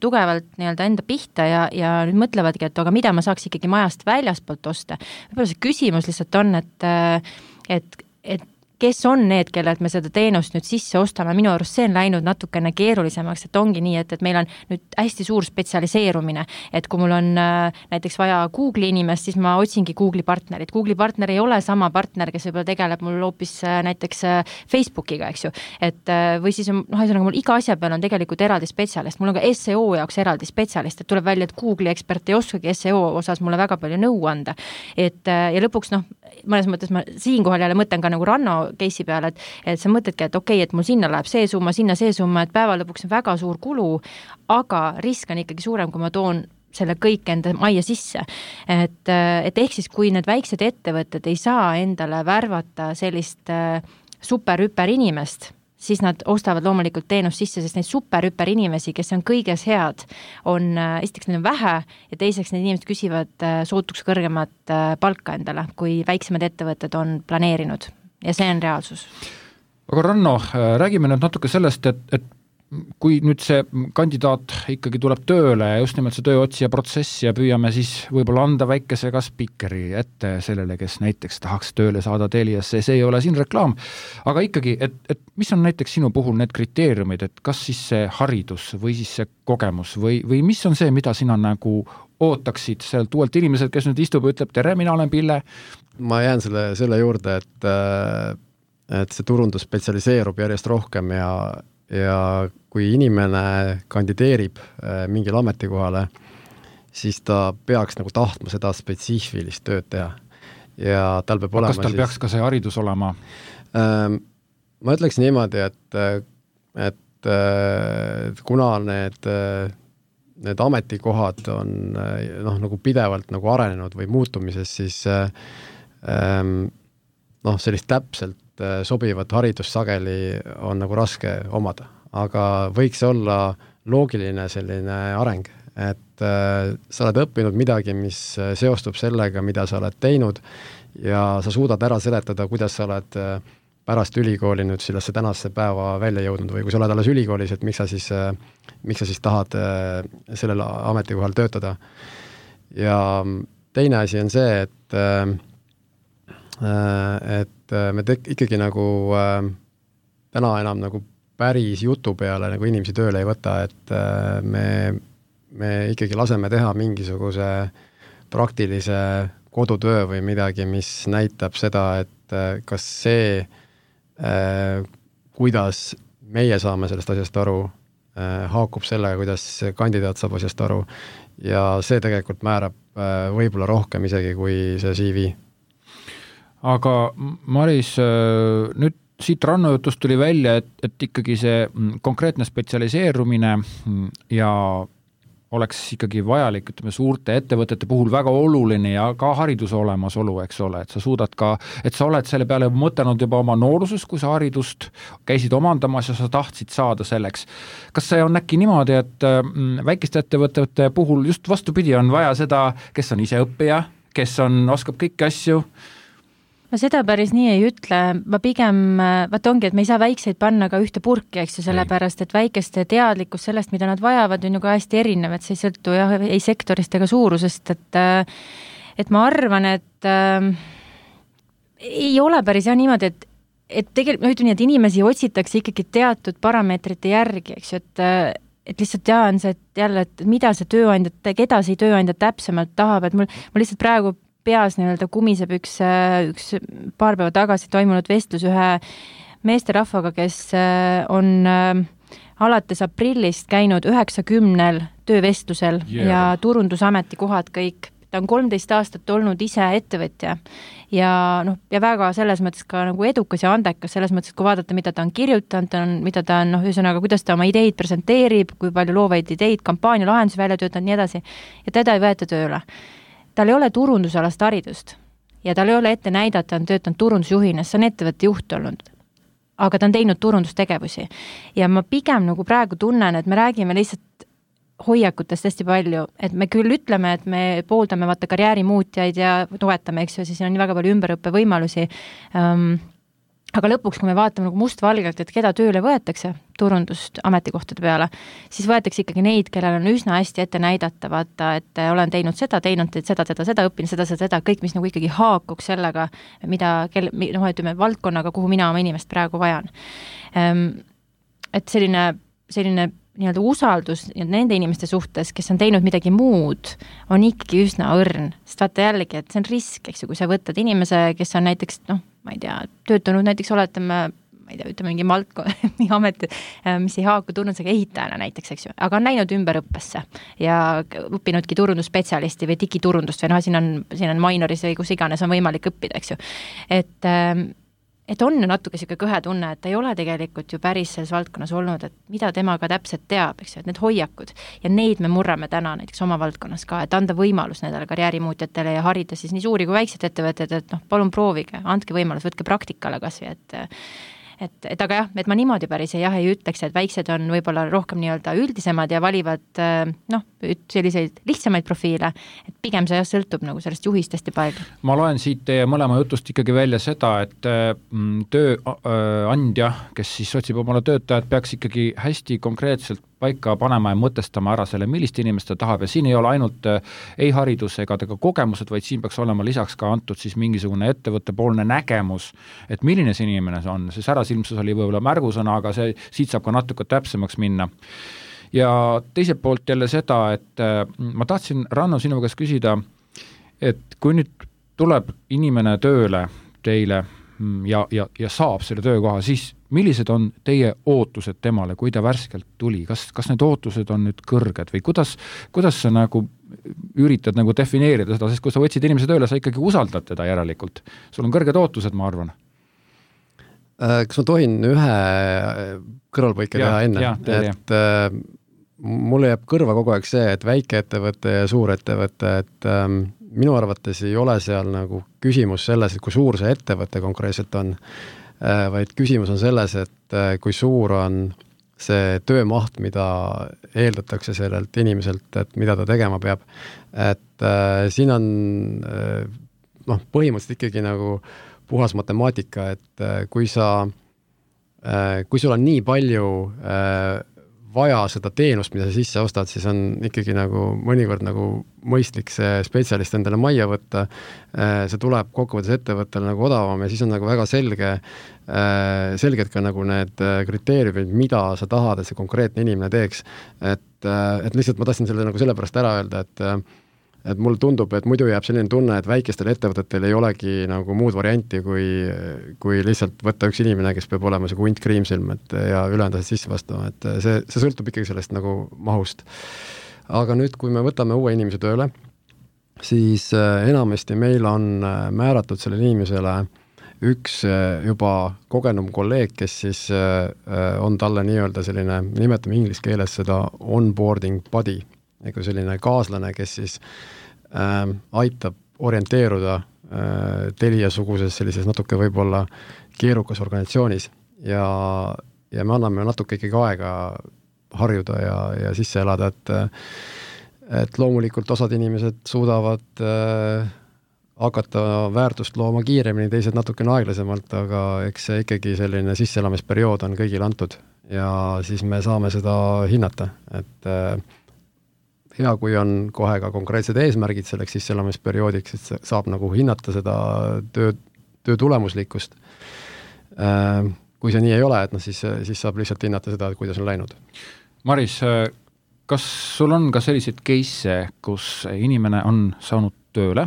tugevalt nii-öelda enda pihta ja, ja nüüd mõtlevadki, et aga mida ma saaks ikkagi majast väljaspoolt osta. Võib-olla see küsimus lihtsalt on, et, et, et kes on need, kellelt me seda teenust nüüd sisse ostame, minu arust see on läinud natukene keerulisemaks, et ongi nii, et, et meil on nüüd hästi suur spetsialiseerumine, et kui mul on äh, näiteks vaja Google'i inimest, siis ma otsingi Google'i partnerit. Google'i partner ei ole sama partner, kes võib-olla tegeleb mul hoopis äh, näiteks äh, Facebookiga, eks ju. Et, äh, või siis on, noh, ühesõnaga mul iga asja peal on tegelikult eraldi spetsialist, mul on ka S E O jaoks eraldi spetsialist, et tuleb välja, et Google'i ekspert ei oskagi S E O osas mulle väga palju nõu anda. Et, äh, ja lõpuks, noh, mõnes mõttes ma siinkohal jälle mõtlen ka nagu Ranno case'i peale, et, et sa mõtledki, et okei, okay, et mul sinna läheb see summa, sinna see summa, et päeva lõpuks on väga suur kulu, aga risk on ikkagi suurem, kui ma toon selle kõik enda majja sisse. Et, et ehk siis, kui need väiksed ettevõtted ei saa endale värvata sellist super-hüper inimest, siis nad ostavad loomulikult teenust sisse, sest neid super-hüper inimesi, kes on kõiges head, on, esiteks neid on vähe ja teiseks need inimesed küsivad sootuks kõrgemat palka endale, kui väiksemad ettevõtted on planeerinud ja see on reaalsus.
Aga Ranno, räägime nüüd natuke sellest, et, et kui nüüd see kandidaat ikkagi tuleb tööle ja just nimelt see tööotsija protsess ja püüame siis võib-olla anda väikese ka spikeri ette sellele, kes näiteks tahaks tööle saada Teliasse, see ei ole siin reklaam, aga ikkagi, et, et mis on näiteks sinu puhul need kriteeriumid, et kas siis see haridus või siis see kogemus või, või mis on see, mida sina nagu ootaksid sealt uuelt inimeselt, kes nüüd istub ja ütleb, tere, mina olen Pille?
Ma jään selle, selle juurde, et, et see turundus spetsialiseerub järjest rohkem ja ja kui inimene kandideerib mingil ametikohale, siis ta peaks nagu tahtma seda spetsiifilist tööd teha. Ja tal peab olema
kas tal siis, peaks ka see haridus olema?
Ähm, ma ütleks niimoodi, et, et, et kuna need, need ametikohad on noh, nagu pidevalt nagu arenenud või muutumises, siis ähm, noh, sellist täpselt sobivat haridust sageli on nagu raske omada, aga võiks olla loogiline selline areng, et äh, sa oled õppinud midagi, mis seostub sellega, mida sa oled teinud ja sa suudad ära seletada, kuidas sa oled äh, pärast ülikooli nüüd sellesse tänasse päeva välja jõudnud või kui sa oled alles ülikoolis, et miks sa siis, äh, miks sa siis tahad äh, sellel ametikohal töötada. Ja teine asi on see, et äh, et me tek- ikkagi nagu äh, täna enam nagu päris jutu peale nagu inimesi tööle ei võta, et äh, me, me ikkagi laseme teha mingisuguse praktilise kodutöö või midagi, mis näitab seda, et äh, kas see, äh, kuidas meie saame sellest asjast aru, äh, haakub sellega, kuidas kandidaat saab asjast aru ja see tegelikult määrab äh, võib-olla rohkem isegi kui see C V.
Aga Maris, nüüd siit Ranno jutust tuli välja, et, et ikkagi see konkreetne spetsialiseerumine ja oleks ikkagi vajalik, ütleme, suurte ettevõtete puhul väga oluline ja ka hariduse olemasolu, eks ole, et sa suudad ka, et sa oled selle peale mõtelnud juba oma nooruses, kui sa haridust käisid omandamas ja sa tahtsid saada selleks. Kas see on äkki niimoodi, et väikeste ettevõtete puhul just vastupidi on vaja seda, kes on ise õppija, kes on, oskab kõiki asju?
Ma seda päris nii ei ütle, ma pigem, vaat ongi, et me ei saa väikseid panna ka ühte purki, eks ju, sellepärast, et väikeste teadlikkus sellest, mida nad vajavad, on ju ka hästi erinev, et see ei sõltu jah, ei sektorist ega suurusest, et, et ma arvan, et äh, ei ole päris jah niimoodi, et, et tegelikult, no ütleme nii, et inimesi otsitakse ikkagi teatud parameetrite järgi, eks ju, et et lihtsalt jaa on see, et jälle, et mida see tööandja, keda see tööandja täpsemalt tahab, et mul, mul lihtsalt praegu peas nii-öelda kumiseb üks, üks paar päeva tagasi toimunud vestlus ühe meesterahvaga, kes on, alates aprillist käinud üheksakümnel töövestlusel yeah. ja turundusameti kohad kõik. Ta on kolmteist aastat olnud ise ettevõtja ja, noh, ja väga selles mõttes ka nagu edukas ja andekas, selles mõttes, et kui vaadata, mida ta on kirjutanud, ta on, mida ta on, noh, ühesõnaga, kuidas ta oma ideid presenteerib, kui palju loovaid ideid, kampaania lahendusi välja töötanud, nii edasi. Ja teda ei võeta tööle. Tal ei ole turundusalast haridust ja tal ei ole ette näidata, on töötanud turundusjuhina, see on ettevõtte juht olnud. Aga ta on teinud turundustegevusi. Ja ma pigem nagu praegu tunnen, et me räägime lihtsalt hoiakutest hästi palju, et me küll ütleme, et me pooldame vaata karjäärimuutjaid ja toetame, eks ju, siis on nii väga palju ümberõppe võimalusi. Um, aga lõpuks, kui me vaatame nagu mustvalgelt, et keda tööle võetakse turundust ametikohtade peale, siis võetakse ikkagi neid, kellel on üsna hästi ette näidata, vaata, et olen teinud seda, teinud seda, seda, seda, õppinud seda, seda, seda, kõik, mis nagu ikkagi haakuks sellega, mida, kel, noh, ütleme, valdkonnaga, kuhu mina oma inimest praegu vajan. Um, et selline, selline nii-öelda usaldus nende inimeste suhtes, kes on teinud midagi muud, on ikkagi üsna õrn. Sest vaata jällegi, et see on risk, eks ju, kui sa võtad inimese, kes on näiteks, noh, ma ei tea, töötanud näiteks oletame, ma ei tea, ütleme mingi maltko, mingi amet, mis ei haaku turundusega ehitajana näiteks, eks ju, aga on läinud ümberõppesse ja õppinudki turundusspetsialisti või digiturundust või noh, siin on, siin on minoris või kus iganes on võimalik õppida, eks ju. Et et on ju natuke siuke kõhe tunne, et ta ei ole tegelikult ju päris selles valdkonnas olnud, et mida tema ka täpselt teab, eks ju, et need hoiakud ja neid me murrame täna näiteks oma valdkonnas ka, et anda võimalus nendele karjäärimuutjatele ja harida siis nii suuri kui väiksed ettevõtted, et noh, palun proovige, andke võimalus, võtke praktikale kasvi, et Et, et aga jah, et ma niimoodi päris jah ei ütleks, et väiksed on võib-olla rohkem nii-öelda üldisemad ja valivad noh, selliseid lihtsamaid profiile, et pigem see jah sõltub nagu sellest juhist hästi palju.
Ma loen siit teie mõlema jutust ikkagi välja seda, et tööandja, kes siis otsib omale töötajad, peaks ikkagi hästi konkreetselt paika panema ja mõtestama ära selle, millist inimest ta tahab ja siin ei ole ainult ei haridus ega tega kogemused, vaid siin peaks olema lisaks ka antud siis mingisugune ettevõttepoolne nägemus, et milline see inimene see on, see särasilmsus oli võib-olla märgusõna, aga see, siit saab ka natuke täpsemaks minna. Ja teiselt poolt jälle seda, et ma tahtsin, Ranno, sinu käest küsida, et kui nüüd tuleb inimene tööle teile ja, ja, ja saab selle töökoha, siis millised on teie ootused temale, kui ta värskelt tuli? Kas, kas need ootused on nüüd kõrged või kuidas, kuidas sa nagu üritad nagu defineerida seda, sest kui sa võtsid inimese tööle, sa ikkagi usaldad teda järelikult. Sul on kõrged ootused, ma arvan.
Kas ma tohin ühe kõrvalpõike teha enne?
Ja,
et äh, mulle jääb kõrva kogu aeg see, et väikeettevõte ja suurettevõte, et ähm, minu arvates ei ole seal nagu küsimus selles, et kui suur see ettevõte konkreetselt on, äh, vaid küsimus on selles, et äh, kui suur on see töömaht, mida eeldatakse sellelt inimeselt, et mida ta tegema peab. Et äh, siin on äh, noh, põhimõtteliselt ikkagi nagu puhas matemaatika, et äh, kui sa äh, kui sul on nii palju äh, vaja seda teenust, mida sa sisse ostad, siis on ikkagi nagu mõnikord nagu mõistlik see spetsialist endale majja võtta, see tuleb kokkuvõttes ettevõttele nagu odavam ja siis on nagu väga selge, selged ka nagu need kriteeriumid, mida sa tahad, et see konkreetne inimene teeks. Et, et lihtsalt ma tahtsin selle nagu sellepärast ära öelda, et et mulle tundub, et muidu jääb selline tunne, et väikestel ettevõtetel ei olegi nagu muud varianti, kui, kui lihtsalt võtta üks inimene, kes peab olema see hunt kriimsilm, et ja ülejäänud asjad sisse vastama, et see, see sõltub ikkagi sellest nagu mahust. Aga nüüd, kui me võtame uue inimese tööle, siis enamasti meil on määratud selle inimesele üks juba kogenum kolleeg, kes siis on talle nii-öelda selline, nimetame inglise keeles seda onboarding buddy, ega selline kaaslane, kes siis äh, aitab orienteeruda äh, Telia-suguses sellises natuke võib-olla keerukas organisatsioonis ja, ja me anname natuke ikkagi aega harjuda ja, ja sisse elada, et, et loomulikult osad inimesed suudavad äh, hakata väärtust looma kiiremini, teised natukene aeglasemalt, aga eks see ikkagi selline sisseelamisperiood on kõigil antud ja siis me saame seda hinnata, et äh, hea, kui on kohe ka konkreetsed eesmärgid selleks sisseelamisperioodiks, et saab nagu hinnata seda töö, töö tulemuslikkust. Kui see nii ei ole, et no siis, siis saab lihtsalt hinnata seda, kuidas on läinud.
Maris, kas sul on ka sellised case, kus inimene on saanud tööle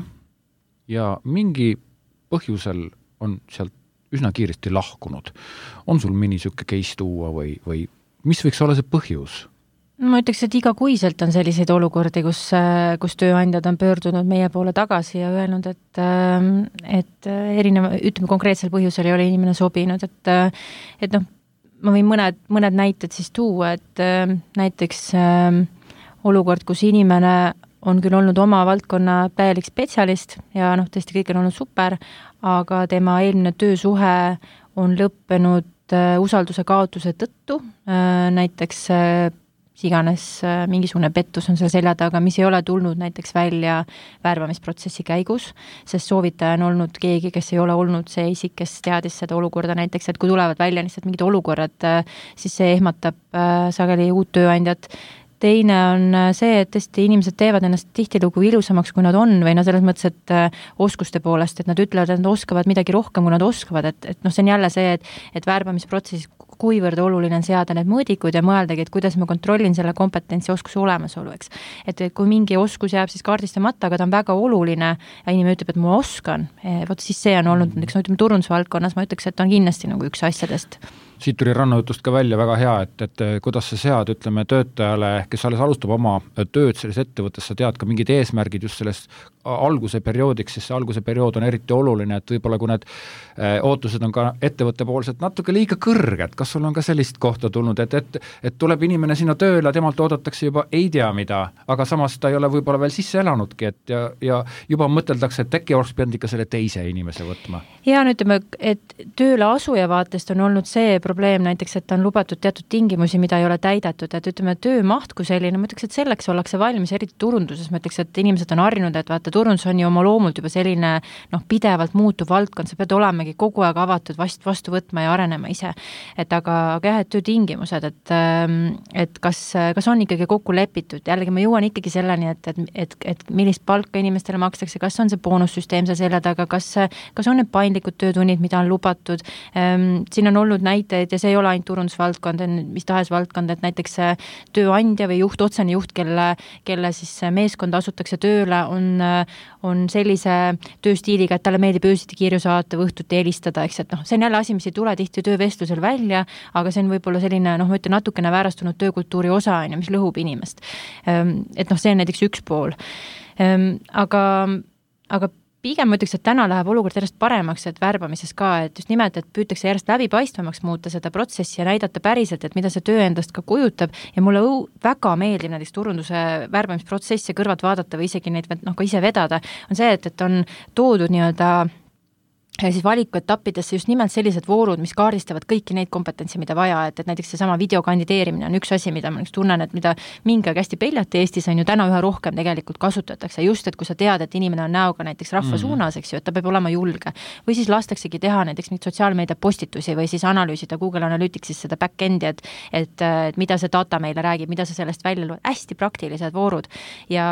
ja mingi põhjusel on sealt üsna kiiresti lahkunud? On sul mõni siuke case tuua või, või mis võiks olla see põhjus?
Ma ütleks, et igakuiselt on selliseid olukordi, kus, kus tööandjad on pöördunud meie poole tagasi ja öelnud, et, et erineva, ütleme konkreetsel põhjusel ei ole inimene sobinud, et, et noh, ma võin mõned, mõned näited siis tuua, et näiteks olukord, kus inimene on küll olnud oma valdkonna täielik spetsialist ja noh, tõesti kõik on olnud super, aga tema eelmine töösuhe on lõppenud usalduse kaotuse tõttu, näiteks iganes mingisugune pettus on seal selja taga, mis ei ole tulnud näiteks välja värbamisprotsessi käigus, sest soovitaja on olnud keegi, kes ei ole olnud see isik, kes teadis seda olukorda näiteks, et kui tulevad välja lihtsalt mingid olukorrad, siis see ehmatab sageli uut tööandjat. Teine on see, et tõesti inimesed teevad ennast tihtilugu ilusamaks, kui nad on, või no selles mõttes, et oskuste poolest, et nad ütlevad, et nad oskavad midagi rohkem, kui nad oskavad, et, et noh, see on jälle see, et, et värbamisprotsessis kuivõrd oluline on seada need mõõdikud ja mõeldagi, et kuidas ma kontrollin selle kompetentsi oskuse olemasolu, eks. Et kui mingi oskus jääb siis kaardistamata, aga ta on väga oluline ja inimene ütleb, et ma oskan, vot siis see on olnud, näiteks no, ütleme turundusvaldkonnas, ma ütleks, et on kindlasti nagu üks asjadest.
Siit tuli rannajutust ka välja väga hea, et, et kuidas sa sead, ütleme, töötajale, kes alles alustab oma tööd selles ettevõttes, sa tead ka mingid eesmärgid just sellest alguse perioodiks, sest see alguse periood on eriti oluline, et võib-olla kui need ootused on ka ettevõtte poolselt natuke liiga kõrged, kas sul on ka sellist kohta tulnud, et, et, et tuleb inimene sinna tööle, temalt oodatakse juba ei tea mida, aga samas ta ei ole võib-olla veel sisse elanudki, et ja, ja juba mõteldakse, et äkki oleks pidanud ikka selle teise inimese võtma.
Ja no ütleme, et tööle asuja vaatest on olnud see probleem näiteks, et on lubatud teatud tingimusi, mida ei ole täidatud, et ütleme, töömaht kui selline, ma ütleks, et selleks ollakse valmis, eriti turunduses, ma ütleks, et inimesed on harjunud, et vaata, turundus on ju oma loomult juba selline noh, pidevalt muutuv valdkond, sa pead olemegi kogu aeg avatud vast, vastu võtma ja arenema ise. Et aga, aga jah, et töötingimused, et, et kas, kas on ikkagi kokku lepitud, jällegi ma jõuan ikkagi selleni, et, et, et, et millist palka inimestele makstakse, kas on see boonussüsteem seal selja taga, kas, kas on need paindlikud töötunnid, mida on lubatud. Siin on olnud näiteid ja see ei ole ainult turundusvaldkond, mis tahes valdkond, et näiteks tööandja või juht, otsene juht, kelle, kelle siis meeskond asutakse tööle, on, on sellise tööstiiliga, et talle meeldib öösiti kirju saata või õhtuti helistada, eks, et noh, see on jälle asi, mis ei tule tihti töövestlusel välja, aga see on võib-olla selline, noh, ma ütlen, natukene väärastunud töökultuuri osa, mis lõhub inimest. Et noh, see on näiteks üks pool. Aga, aga pigem ma ütleks, et täna läheb olukord järjest paremaks, et värbamises ka, et just nimelt, et püütakse järjest läbipaistvamaks muuta seda protsessi ja näidata päriselt, et mida see töö endast ka kujutab ja mulle väga meeldib näiteks turunduse värbamisprotsessi kõrvalt vaadata või isegi neid noh, ka ise vedada, on see, et, et on toodud nii-öelda ja siis valikuetappidesse just nimelt sellised voorud, mis kaardistavad kõiki neid kompetentsi, mida vaja, et, et näiteks seesama videokandideerimine on üks asi, mida ma tunnen, et mida mingi hästi peljati Eestis on ju täna üha rohkem tegelikult kasutatakse, just et kui sa tead, et inimene on näoga näiteks rahva mm. suunas, eks ju, et ta peab olema julge. Või siis lastaksegi teha näiteks neid sotsiaalmeedia postitusi või siis analüüsida Google Analyticsis seda back-endi, et, et, et mida see data meile räägib, mida sa sellest välja loed, hästi praktilised voorud ja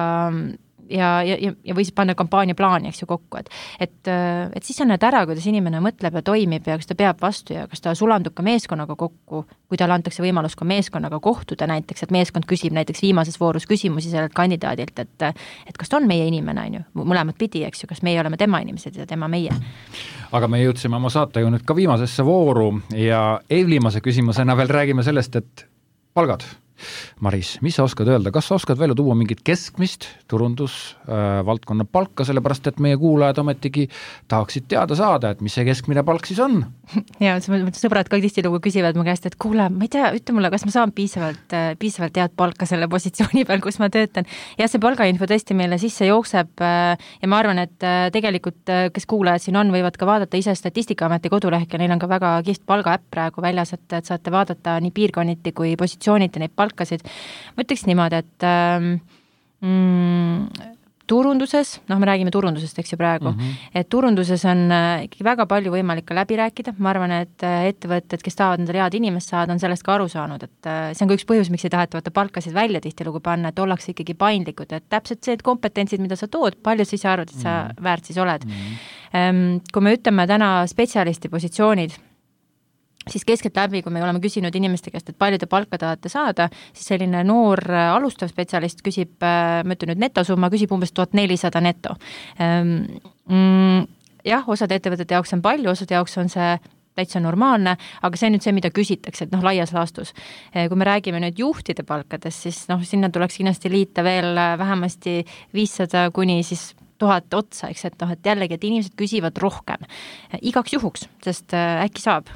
ja, ja, ja või siis panna kampaania plaani, eks ju, kokku, et, et, et siis on need ära, kuidas inimene mõtleb ja toimib ja kas ta peab vastu ja kas ta sulandub ka meeskonnaga kokku, kui talle antakse võimalus ka meeskonnaga kohtuda näiteks, et meeskond küsib näiteks viimases voorus küsimusi sellelt kandidaadilt, et, et kas ta on meie inimene, on ju, mõlemad pidi, eks ju, kas meie oleme tema inimesed ja tema meie.
Aga me jõudsime oma saatega nüüd ka viimasesse vooru ja eelviimase küsimusena veel räägime sellest, et palgad. Maris, mis sa oskad öelda, kas sa oskad välja tuua mingit keskmist turundusvaldkonna äh, palka, sellepärast et meie kuulajad ometigi tahaksid teada saada, et mis see keskmine palk siis on?
Ja sõbrad ka tihtilugu küsivad mu käest, et kuule, ma ei tea, ütle mulle, kas ma saan piisavalt, piisavalt head palka selle positsiooni peal, kus ma töötan. Ja see palgainfo tõesti meile sisse jookseb ja ma arvan, et tegelikult, kes kuulajad siin on, võivad ka vaadata ise Statistikaameti kodulehk ja neil on ka väga kihvt palgaäpp praegu väljas, et, et saate vaadata nii piirkonniti kui positsiooniti neid palkasid. Ma ütleks niimoodi, et mm, turunduses, noh, me räägime turundusest, eks ju praegu, mm -hmm. et turunduses on ikkagi väga palju võimalik ka läbi rääkida. Ma arvan, et ettevõtted, kes tahavad endale head inimest saada, on sellest ka aru saanud, et see on ka üks põhjus, miks ei taheta võtta palkasid välja tihtilugu panna, et ollakse ikkagi paindlikud, et täpselt see, et kompetentsid, mida sa tood, palju sa ise arvad, et sa mm -hmm. väärt siis oled. Mm -hmm. Kui me ütleme täna spetsialisti positsioonid, siis keskelt läbi, kui me oleme küsinud inimeste käest, et palju te palka tahate saada, siis selline noor alustav spetsialist küsib, ma ütlen nüüd netosumma, küsib umbes tuhat nelisada neto. Jah, osad ettevõtete jaoks on palju, osad jaoks on see täitsa normaalne, aga see on nüüd see, mida küsitakse, et noh, laias laastus. Kui me räägime nüüd juhtide palkadest, siis noh, sinna tuleks kindlasti liita veel vähemasti viissada kuni siis tuhat otsa, eks, et noh, et jällegi, et inimesed küsivad rohkem. Igaks juhuks, sest äkki saab.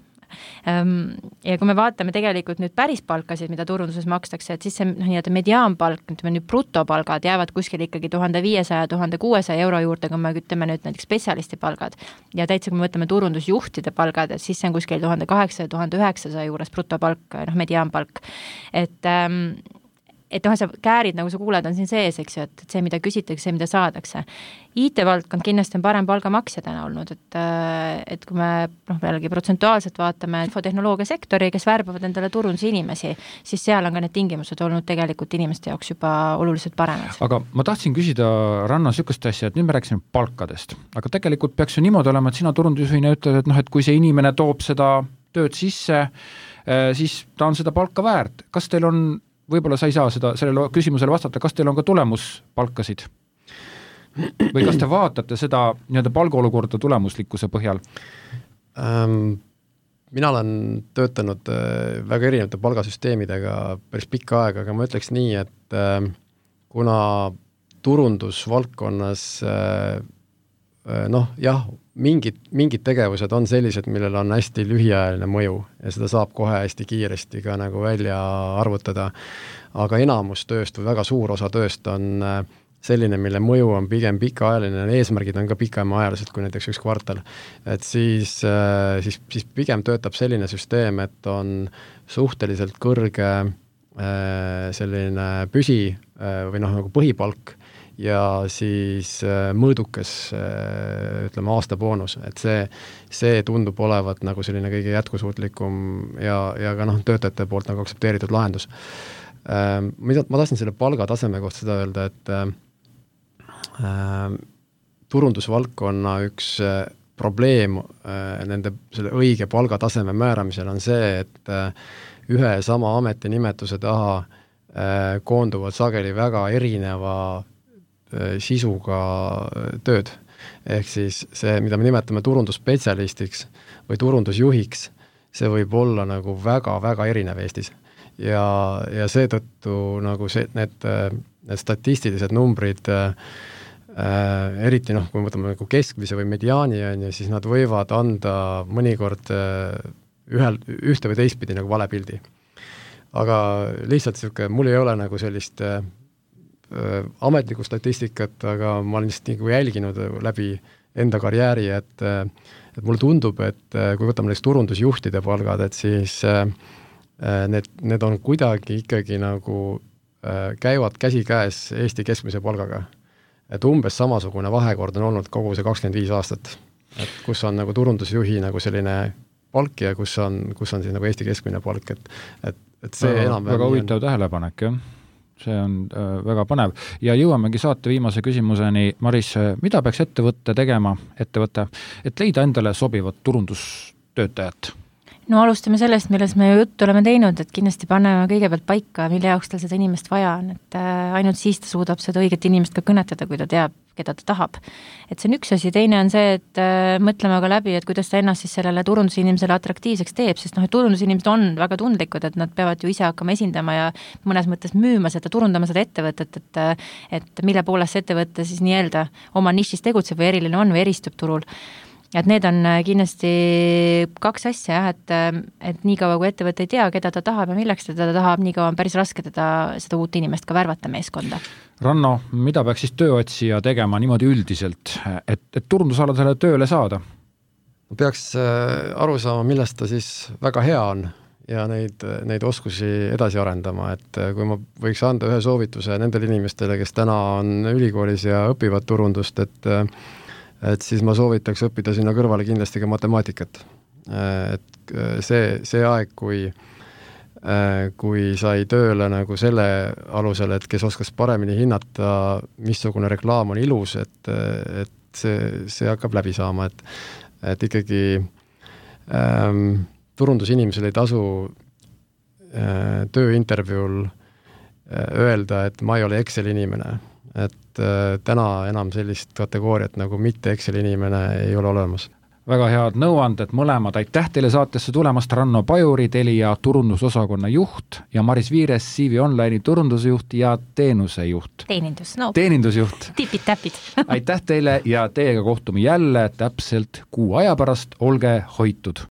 Ja kui me vaatame tegelikult nüüd päris palkasid, mida turunduses makstakse, et siis see nii-öelda mediaanpalk, ütleme nüüd brutopalgad jäävad kuskil ikkagi tuhande viiesaja – tuhande kuuesaja euro juurde, kui me ütleme nüüd näiteks spetsialisti palgad. Ja täitsa, kui me võtame turundusjuhtide palgad, et siis see on kuskil tuhande kaheksasaja – tuhande üheksasaja juures brutopalk, noh, mediaanpalk. Et ähm, et noh, sa käärid, nagu sa kuuled, on siin sees, eks ju, et see, mida küsitakse, see, mida saadakse. I T-valdkond kindlasti on parem palgamaksja täna olnud, et, et kui me noh, jällegi protsentuaalselt vaatame infotehnoloogia sektori, kes värbavad endale turunduse inimesi, siis seal on ka need tingimused olnud tegelikult inimeste jaoks juba oluliselt paremad.
Aga ma tahtsin küsida Ranno sükust asja, et nüüd me rääkisime palkadest, aga tegelikult peaks ju niimoodi olema, et sina turundusjuhina ütled, et noh, et kui see inimene toob seda tööd sisse, siis ta on seda palka väärt. Kas teil on võib-olla sa ei saa seda, sellele küsimusele vastata, kas teil on ka tulemuspalkasid? Või kas te vaatate seda nii-öelda palgaolukorda tulemuslikkuse põhjal?
Ähm, mina olen töötanud väga erinevate palgasüsteemidega päris pikka aega, aga ma ütleks nii, et kuna turundusvaldkonnas noh, jah, mingid, mingid tegevused on sellised, millel on hästi lühiajaline mõju ja seda saab kohe hästi kiiresti ka nagu välja arvutada, aga enamus tööst või väga suur osa tööst on selline, mille mõju on pigem pikaajaline, eesmärgid on ka pikemaajalised kui näiteks üks kvartal. Et siis, siis, siis pigem töötab selline süsteem, et on suhteliselt kõrge selline püsi või noh, nagu põhipalk ja siis mõõdukas, ütleme, aastaboonus, et see, see tundub olevat nagu selline kõige jätkusuutlikum ja, ja ka noh, töötajate poolt nagu aktsepteeritud lahendus. Mida, ma tahtsin selle palgataseme kohta seda öelda, et äh, turundusvaldkonna üks probleem äh, nende selle õige palgataseme määramisel on see, et äh, ühe sama ametinimetuse taha äh, koonduvad sageli väga erineva sisuga tööd. Ehk siis see, mida me nimetame turundusspetsialistiks või turundusjuhiks, see võib olla nagu väga-väga erinev Eestis. Ja, ja seetõttu nagu see, need, need statistilised numbrid äh, eriti noh, kui me võtame nagu keskmise või mediaani, on, ja siis nad võivad anda mõnikord äh, ühel, ühte või teistpidi nagu vale pildi. Aga lihtsalt siuke, mul ei ole nagu sellist äh, ametlikku statistikat, aga ma olen lihtsalt nagu jälginud läbi enda karjääri, et, et mulle tundub, et kui võtame näiteks turundusjuhtide palgad, et siis need, need on kuidagi ikkagi nagu käivad käsikäes Eesti keskmise palgaga. Et umbes samasugune vahekord on olnud kogu see kakskümmend viis aastat, et kus on nagu turundusjuhi nagu selline palk ja kus on, kus on siis nagu Eesti keskmine palk, et, et, et see
väga,
enam
väga huvitav on... tähelepanek, jah. See on äh, väga põnev. Ja jõuamegi saate viimase küsimuseni. Maris, mida peaks ettevõtte tegema, ettevõte, et leida endale sobivat turundustöötajat?
No alustame sellest, milles me juttu oleme teinud, et kindlasti paneme kõigepealt paika, mille jaoks tal seda inimest vaja on, et äh, ainult siis ta suudab seda õiget inimest ka kõnetada, kui ta teab, keda ta tahab. Et see on üks asi, teine on see, et äh, mõtleme ka läbi, et kuidas ta ennast siis sellele turundusinimesele atraktiivseks teeb, sest noh, et turundusinimesed on väga tundlikud, et nad peavad ju ise hakkama esindama ja mõnes mõttes müüma seda, turundama seda ettevõtet, et, et mille poolest see ettevõte siis nii-öelda oma nišis tegutseb või eriline on või eristub turul. Et need on kindlasti kaks asja, et, et nii kaua, kui ettevõte ei tea, keda ta tahab ja milleks ta teda tahab, nii kaua on päris raske teda, seda uut inimest ka värvata meeskonda.
Ranno, mida peaks siis tööotsija tegema niimoodi üldiselt, et, et turundusaladele tööle saada?
Peaks aru saama, millest ta siis väga hea on ja neid, neid oskusi edasi arendama, et kui ma võiks anda ühe soovituse nendele inimestele, kes täna on ülikoolis ja õpivad turundust, et et siis ma soovitaks õppida sinna kõrvale kindlasti ka matemaatikat. Et see, see aeg, kui, kui sai tööle nagu selle alusel, et kes oskas paremini hinnata, missugune reklaam on ilus, et, et see, see hakkab läbi saama, et, et ikkagi ähm, turundusinimesel ei tasu äh, tööintervjuul äh, öelda, et ma ei ole Excel inimene. Et äh, täna enam sellist kategooriat nagu mitte Excel inimene ei ole olemas.
väga head nõuanded mõlemad, aitäh teile saatesse tulemast, Ranno Pajuri, Telia turundusosakonna juht ja Maris Viires, C V Online'i turundusjuht ja teenusejuht.
Teenindus, no.
Teenindusjuht.
Tipid-täpid.
aitäh teile ja teiega kohtume jälle täpselt kuu aja pärast, olge hoitud!